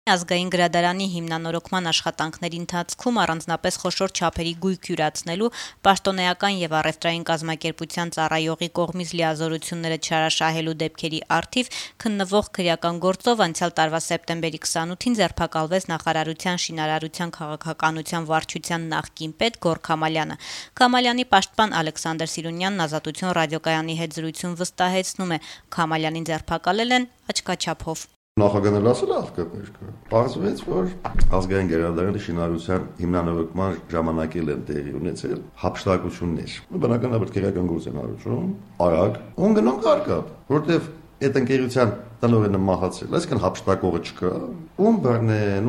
Ազգային գրադարանի հիմնանորոգման աշխատանքների ընթացքում առանձնապես խոշոր չափերի գույք յուրացնելու պաշտոնեական եւ առևտրային կազմակերպության ծառայողի կողմից լիազորությունները չարաշահելու դեպքերի առթիվ քննվող քրեական գործով անցյալ տարվա սեպտեմբերի 28-ին ձերբակալվեց նախարարության շինարարության քաղաքականության վարչության նախկին պետ Գոռ Քամալյանը։ Քամալյանի պաշտպան Ալեքսանդր Սիրունյանն Ազատություն ռադիոկայանի հետ զրույցում վստահեցնում է, Քամալյանին ձերբակալել են աչքաչափով։ Նախագահն ասել է աղքատներ կա։ Պարզվեց, որ ազգային գերադարանի շինարարության հիմնանորոգման ժամանակել են տեղի ունեցել հափշտակություններ։ Բնականաբար քրեական գործ են արվում, արագ, ոնգնոն կարկապ, որտեվ այդ ընկերության տնօրենը մահացել, այսինքն հափշտակողը չկա։ Ում բռնեն,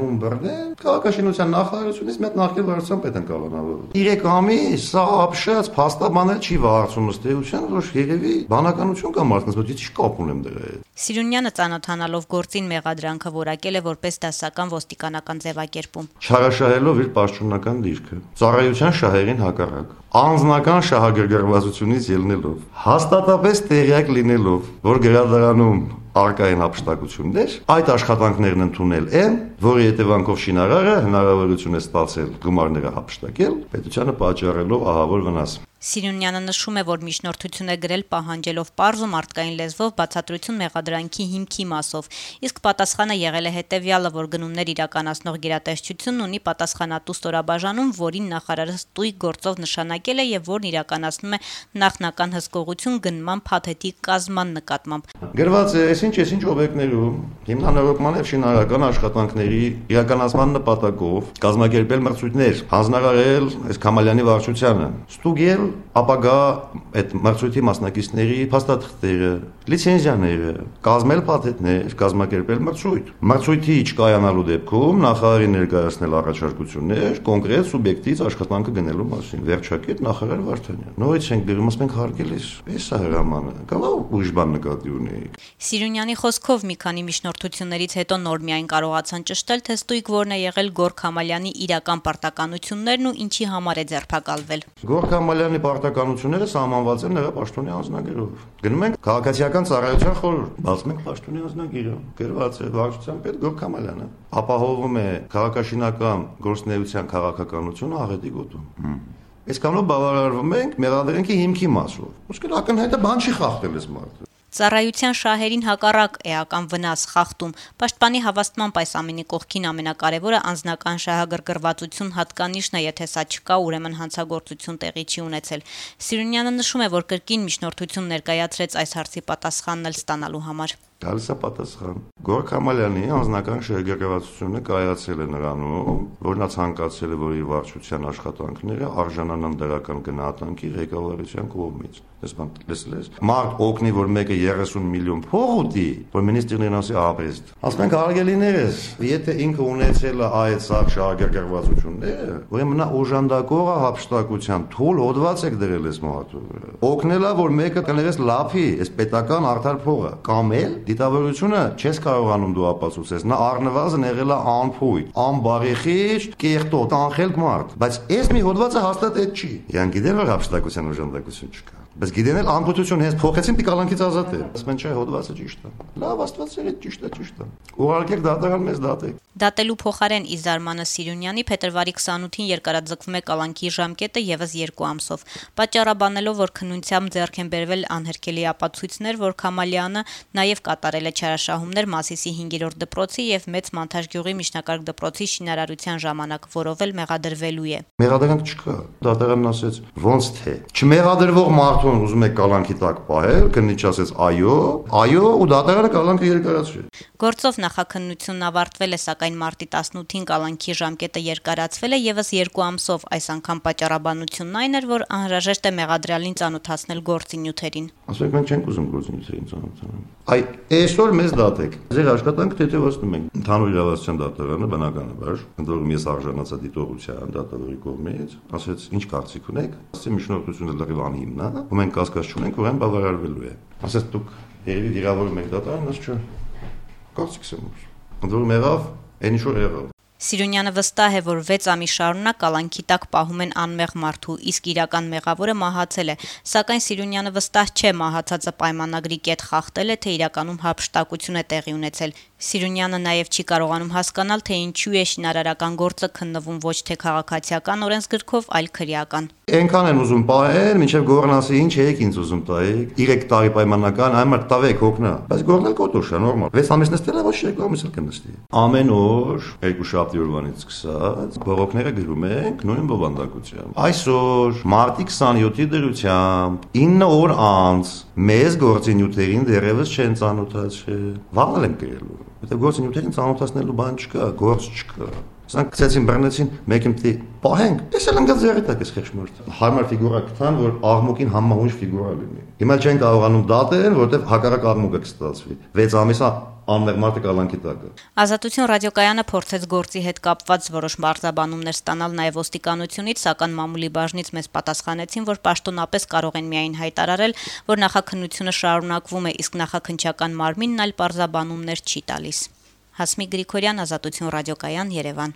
քաղաքաշինության նախարարությունից մեծ նախկին վարչության պետ են կալանավորել։ 3 ամիս սա ապշած փաստաբանել չի վարչում ըստ էության, որ երևի բանականություն կա մարդկանց, բայց ի՞նչ կապ ունեմ դրա հետ։ Սիրունյանը ծանոթանալով գործին մեղադրանքը որակել է որպես դասական ոստիկանական ձևակերպում։ Չարաշահելով իր պաշտոնական դիրքը, ծառայության շահերին հակառակ, անձնական շահագրգռվածությունից ելնելով, հաստատապես տեղյակ լինելով, որ գրադարանում արկային հափշտակություններ, այդ աշխատանքներն ընդունել են, որի հետևանքով շինարարը հնարավորություն է ստացել գումարները հափշտակել, պետությանը պատճառելով ահավոր վնաս։ Սիրունյանը նշում է, որ միջնորդություն է գրել պահանջելով պարզ ու մարդկային լեզվով բացատրություն մեղադրանքի հիմքի մասով, իսկ պատասխանը եղել է հետևյալը, որ գնումներ իրականացնող գերատեսչությունն ունի պատասխանատու ստորաբաժանում, որին նախարարը ստույգ գործով նշանակել է եւ որն իրականացնում է նախնական հսկողություն գնման փաթեթի կազման նկատմամբ։ Գրված է, այսինչ օբյեկտներում հիմնանորոգման եւ շինարարական աշխատանքների իրականացման նպատակով կազմակերպել մրցույթներ, հանձնարարել այս Քամալյանի վարչությանը, ստուգել ապագա այդ մրցույթի մասնակիցների փաստաթղթերը, լիցենզիաները, կազմել փաթեթներ, կազմակերպել մրցույթ։ Մրցույթի չկայանալու դեպքում նախարարի ներկայացնել առաջարկություններ կոնկրետ սուբյեկտից աշխատանքը գնելու մասին։ Վերջակետ նախարար Վարդանյան։ Նորից ենք դերում, ասենք հարգելիս, էսա հրամանը, կարող ուրիշ բան նկատի ունեիք։ Սիրունյանի խոսքով մի քանի միջնորդություններից հետո նոր միայն կարողացան ճշտել, թե ստույգ որն է եղել Գոռ Քամալյանի իրական պարտականություններն ու ինչի համար է ձերբակալվել։ Գոռ Քամալյանի պարտականությունները սահմանված են նրա պաշտոնի անձնագրով։ Գնում ենք քաղաքացիական ծառայության խորհուրդ, բացում ենք պաշտոնի անձնագիրը, գրված է վարչության պետ Գոռ Քամալյանը։ Ապահովում է քաղաքաշինական գործունեության քաղաքականությունը աղետի գոտում։ Այսքանով բավարարվում ենք մեղադրանքի հիմքի մասով։ Ոսկե ակնհայտ բան չի խախտել այս մարդը։ Ծառայության շահերին հակառակ էական վնաս խախտում։ Պաշտպանի հավաստմամբ այս ամենի կողքին ամենակարևորը անձնական շահագրգռվածություն հատկանիշն է, եթե սա չկա, ուրեմն հանցագործություն տեղի չի ունեցել։ Սիրունյանը նշում է, որ կրկին միջնորդություն ներկայացրեց այս հարցի պատասխանն էլ ստանալու համար։ Գալիս է պատասխան։ Գոռ Քամալյանի անձնական շահագրգռվածությունը կայացել է նրանում, որ նա ցանկացել է, որ իր վարչության աշխատանքները արժանանան դրական գնահատանքի ղեկավարության կողմից։ Լսես, մարդ օգնի, որ մեկը 30 միլիոն փող ուտի, որ մինիստրին ասի ապրեստ։ Ասում ենք հարգելիներս, եթե ինքը ունեցել է այդ սաղ շահագրգռվածությունները, ուրեմն նա օժանդակող է հափշտակության թույլ հոդված եք դրել այս մարդու վրա։ Օգնել է, որ մեկը կներես լափի, այս պետական արդար փողը, կամ էլ դիտավորությունը չես կարողանում դու ապացուցես, նա առնվազն եղել է անփույթ, անբարեխիղճ, կեղտոտ, անխելք մարդ, բայց այս մի հոդվածը հաստատ այդ չի։ Յան գիտեն, որ հափշտակության օժանդակություն չկա։ Բայց գիտեն էլ անփույթություն հենց փոխեցին պիկալանքից ազատ է։ Ասում են չէ, հոդվածը ճիշտ է։ Լավ, Աստված սեր է ճիշտ է։ Ուղարկեք դատարան մեզ դատեք։ Դատելու փոխարեն ի զարմանը Սիրունյանի փետրվարի 28-ին երկարաձգվում է կալանքի ժամկետը եւս 2 ամսով։ Պատճառաբանելով, որ քննությամբ ձեռք են բերվել անհերքելի ապացույցներ, որ Քամալյանը նաեւ կատարել է չարաշահումներ Մասիսի 5-րդ դպրոցի եւ Մեծ Մանթաշգյուղի միջնակարգ դպրոցի շինարարության ժամանակ, որով էլ մեղադրվելու է։ Մեղադրանք չկա։ Դատարանն ասեց, ոնց թե։ Չմեղադրվող մարդուն ուզում է կալանքի տակ պահել, քննիչ ասեց այո, ու դատարանը կալանքը երկարացրեց։ Գործով նախաքննությունն ավարտվել է, սակայն մարտի 18-ին կալանքի ժամկետը երկարացվել է եւս 2 ամսով։ Այս անգամ պատճառաբանությունն այն էր, որ անհրաժեշտ է մեղադրյալին ծանոթացնել գործի նյութերին։ Ասենք մենք չենք ուզում գործի նյութերին ծանոթանալ։ Այսօր մեզ դատեք։ Ձեր աշխատանքը թեթևացնում ենք։ Ընդհանուր իրավասության դատարանը բնականաբար, ընդորում ես արժանացա դիտողության դատավորի կողմից, ասեց ինչ կարծիք ունեք։ Ասեցի միջնորդությունը լրիվ անհիմն է, ու մենք կասկած չունենք, որ այն բավարարվելու է։ Ասեց դուք երևի վիրավորում եք դատարանը, ասա չէ։ Կարծիքս եմ ուր։ Ընդորում եղավ, այն ինչ որ եղավ։ Սիրունյանը վստահ է, որ 6 ամիս շարունակ կալանքի տակ պահում են անմեղ մարդու, իսկ իրական մեղավորը մահացել է, սակայն Սիրունյանը վստահ չէ մահացածը պայմանագրի կետ խախտել է, թե իրականում հափշտակություն է տեղի ունեցել։ Սիրունյանը նաև չի կարողանում հասկանալ, թե ինչու է շինարարական գործը քննվում ոչ թե քաղաքացիական օրենսգրքով, այլ քրեական։ Այնքան են ուզում պահել, մինչև գորնասի ինչ եք ինձ ուզում տայեք, 3 տարի պայմանական, այմար տավեք հոգնա, բայց գորնել կոտոշա, նորմալ, 6 ամիս նստել է, ոչ 3 ամիս էլ կնստի։ Ամեն օր, 2 շաբթի օրվանից սկսած, բողոքները գրում ենք նույն բովանդակությամբ։ Այսօր, մարտի 27-ի դրությամբ, 9 օր անց, մեզ գործի նյութերին դեռևս չեն ծանոթացել, վաղ եմ գրելու, որտեղ գործի նյութերին ծանոթացնելու բան չկա, գործ չկա։ Սրանք գցեցին բռնեցին, մեկ իմտի պահենք, ես էլ ընկած ձեռի տակ ես խեղճմորդ։ Հարմար ֆիգուրա կտան, որ աղմուկին համահունչ ֆիգուրա լինի։ Հիմա չեն կարողանում դատել, որովհետև հակառակ աղմուկը կստացվի։ 6 ամիսա անմեղ մարդը կալանքի տակը։ Ազատություն ռադիոկայանը փորձեց գործի հետ կապված որոշ բարձաբանումներ ստանալ նաև ոստիկանությունից, սակայն մամուլի բաժնից մեզ պատասխանեցին, որ պաշտոնապես կարող են միայն հայտարարել, որ նախաքննությունը շարունակվում է, իսկ նախաքննչական մարմինն այլ բարձաբանումներ չի տալիս։ Հասմիկ Գրիգորյան, Ազատություն ռադիոկայան, Երևան։